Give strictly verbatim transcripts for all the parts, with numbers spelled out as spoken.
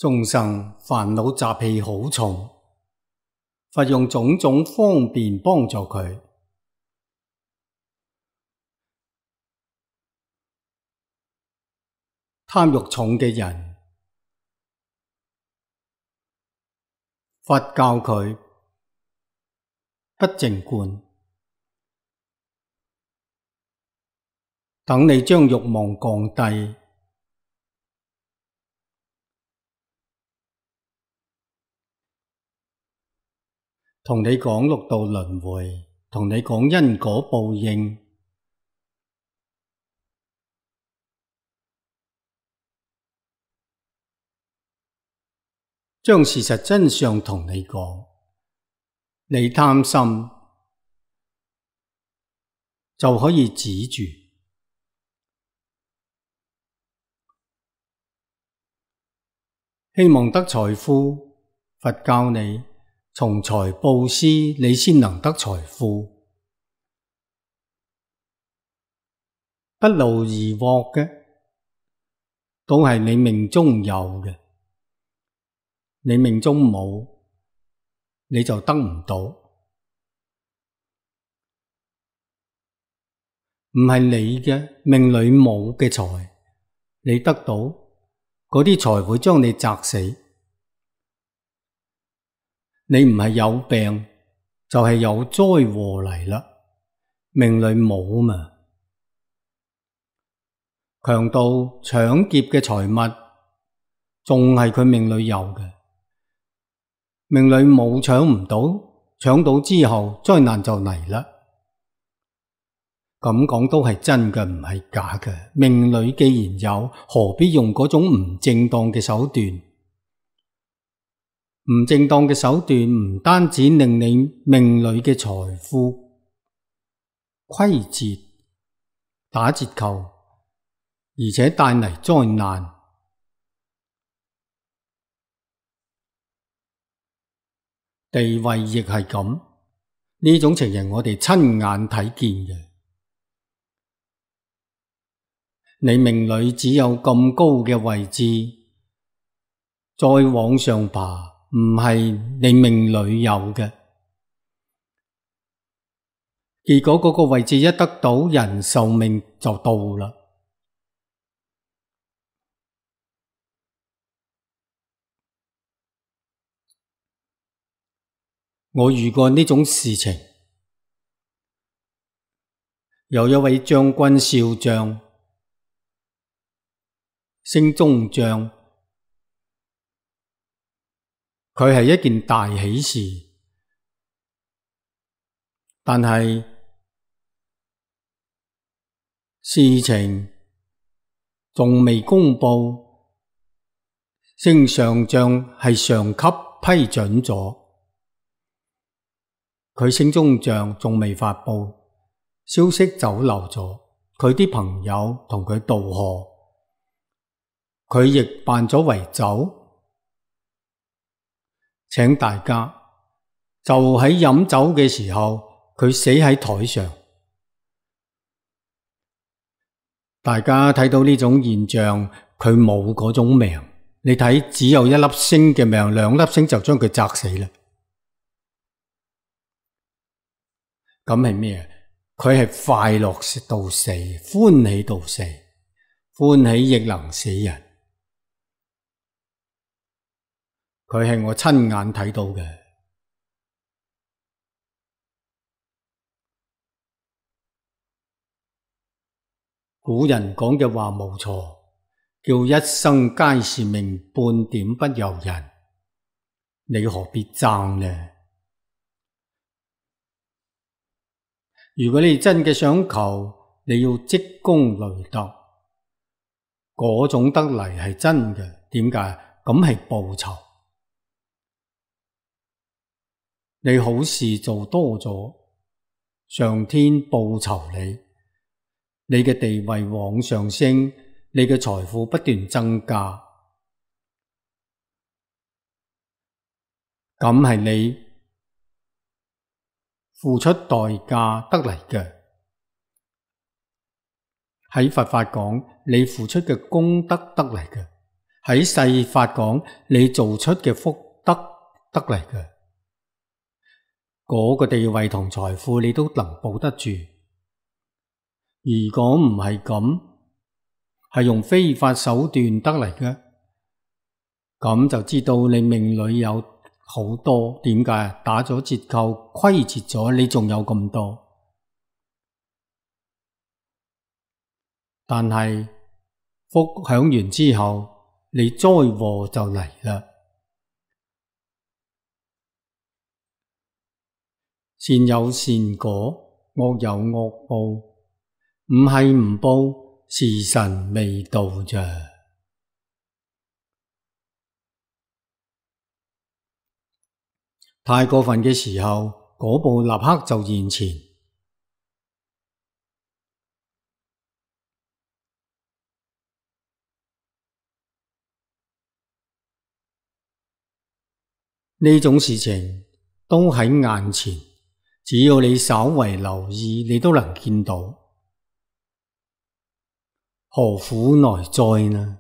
眾生煩惱習氣好重，佛用種種方便幫助佢。貪欲重嘅人，佛教佢不淨觀，等你將欲望降低，同你講六道輪迴，同你講因果報應，將事實真相同你講，你貪心就可以止住。希望得財富，佛教你從財布施，你先能得財富。不勞而獲嘅，都係你命中有嘅。你命中冇，你就得唔到。唔係你嘅命裏冇嘅財，你得到嗰啲財會將你砸死。你唔係有病，就係有災禍嚟啦。命裏冇嘛。強盜搶劫嘅財物，仲係佢命裏有嘅。命裏冇搶唔到，搶到之後災難就嚟啦。咁講都係真嘅，唔係假嘅。命裏既然有，何必用嗰種唔正當嘅手段？唔正當嘅手段唔單止令你命裏嘅財富虧折、打折扣，而且帶嚟災難。地位亦係咁，呢種情形我哋親眼睇見嘅。你命裏只有咁高嘅位置，再往上爬，唔係你命裏有嘅。結果嗰個位置一得到，人壽命就到啦。我遇過呢種事情，有一位將軍少將升中將，佢係一件大喜事，但係事情仲未公布，升上將係上級批准咗。佢升中將仲未發佈，消息走漏咗，佢啲朋友同佢道賀，佢亦辦咗圍酒，請大家。就喺飲酒嘅時候，佢死喺台上。大家睇到呢種現象，佢冇嗰種命。你睇，只有一粒星嘅命，兩粒星就將佢砸死啦。咁係咩？佢係快樂到死，歡喜到死，歡喜亦能死人。佢係我親眼睇到嘅。古人講嘅話冇錯，叫一生皆是命，半點不由人。你何必爭呢？如果你真嘅想求，你要積功累德，嗰種得嚟係真嘅。點解？咁係報酬。你好事做多咗，上天報酬你，你嘅地位往上升，你嘅財富不斷增加，咁係你付出代價得嚟嘅。喺佛法講，你付出嘅功德得嚟嘅，喺世法講你做出嘅福德得嚟嘅，嗰個地位同財富你都能保得住。如果唔係咁，係用非法手段得嚟嘅，咁就知道你命裏有好多。點解？打咗折扣，虧折咗，你仲有咁多。但係福享完之後，你災禍就嚟啦。善有善果，惡有惡報，唔係唔報，時辰未到咋。太過分嘅時候，果報立刻就現前。呢種事情都喺眼前，只要你稍為留意，你都能見到。何苦來哉呢？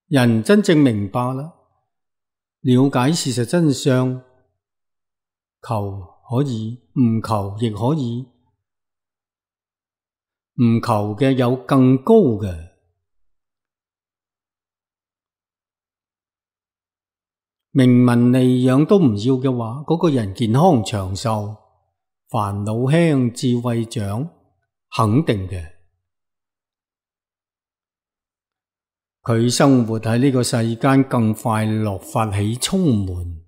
人真正明白啦，了解事實真相，求可以，唔求亦可以。唔求嘅有更高嘅。名聞利養都唔要嘅話，嗰個人健康長壽，煩惱輕，智慧長，肯定嘅。佢生活喺呢個世間更快樂，發喜充滿。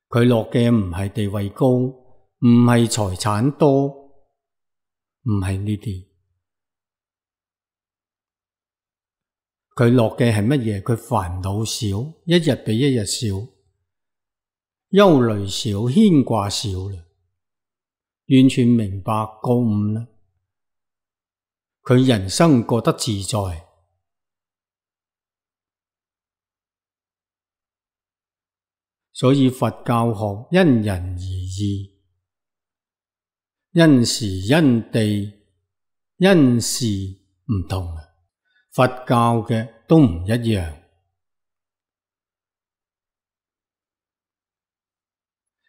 佢樂嘅唔係地位高，唔係財產多，唔係呢啲。佢樂嘅係乜嘢？佢煩惱少，一日比一日少，憂慮少，牽掛少啦，完全明白覺悟啦。佢人生過得自在。所以佛教學因人而異，因時因地因事唔同。佛教嘅都唔一樣。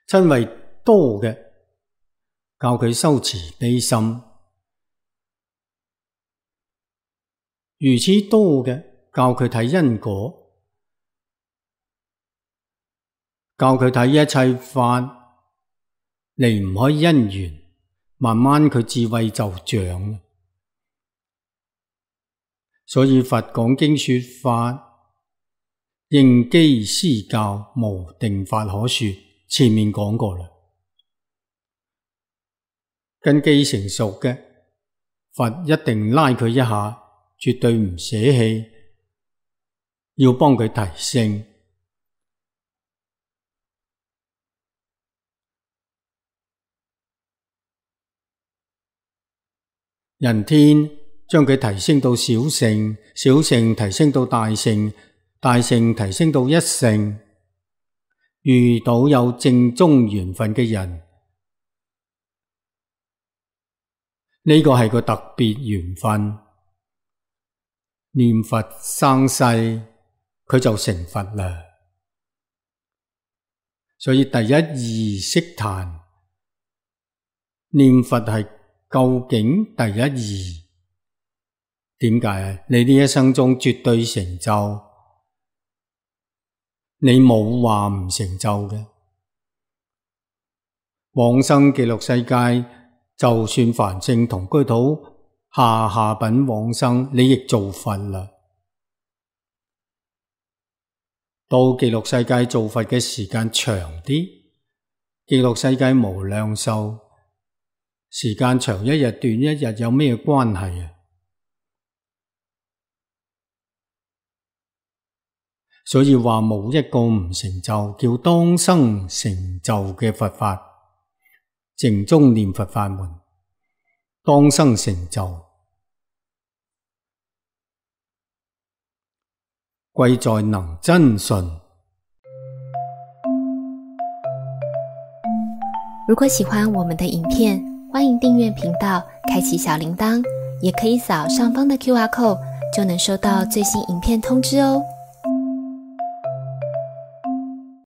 親為多嘅，教佢修慈悲心；如此多嘅，教佢睇因果，教佢睇一切法離唔開因緣，慢慢佢智慧就長。所以佛講經說法，應機施教，無定法可說。前面講過啦，根基成熟嘅，佛一定拉佢一下，絕對唔捨棄，要幫佢提升。人天將佢提升到小乘，小乘提升到大乘，大乘提升到一乘。遇到有正宗緣分嘅人，呢個係個特別緣分。念佛生世，佢就成佛啦。所以第一義悉檀，念佛係究竟第一義。點解？你呢一生中絕對成就。你冇話唔成就嘅。往生極樂世界，就算凡聖同居土下下品往生，你亦做佛啦。到極樂世界做佛嘅時間長啲，極樂世界無量壽，時間長一日短一日有咩關係啊？所以話冇一個唔成就，叫當生成就嘅佛法，淨宗念佛法門，當生成就，貴在能真信。如果喜歡我們的影片，歡迎訂閱頻道，開啟小鈴鐺，也可以扫上方的 Q R code， 就能收到最新影片通知哦。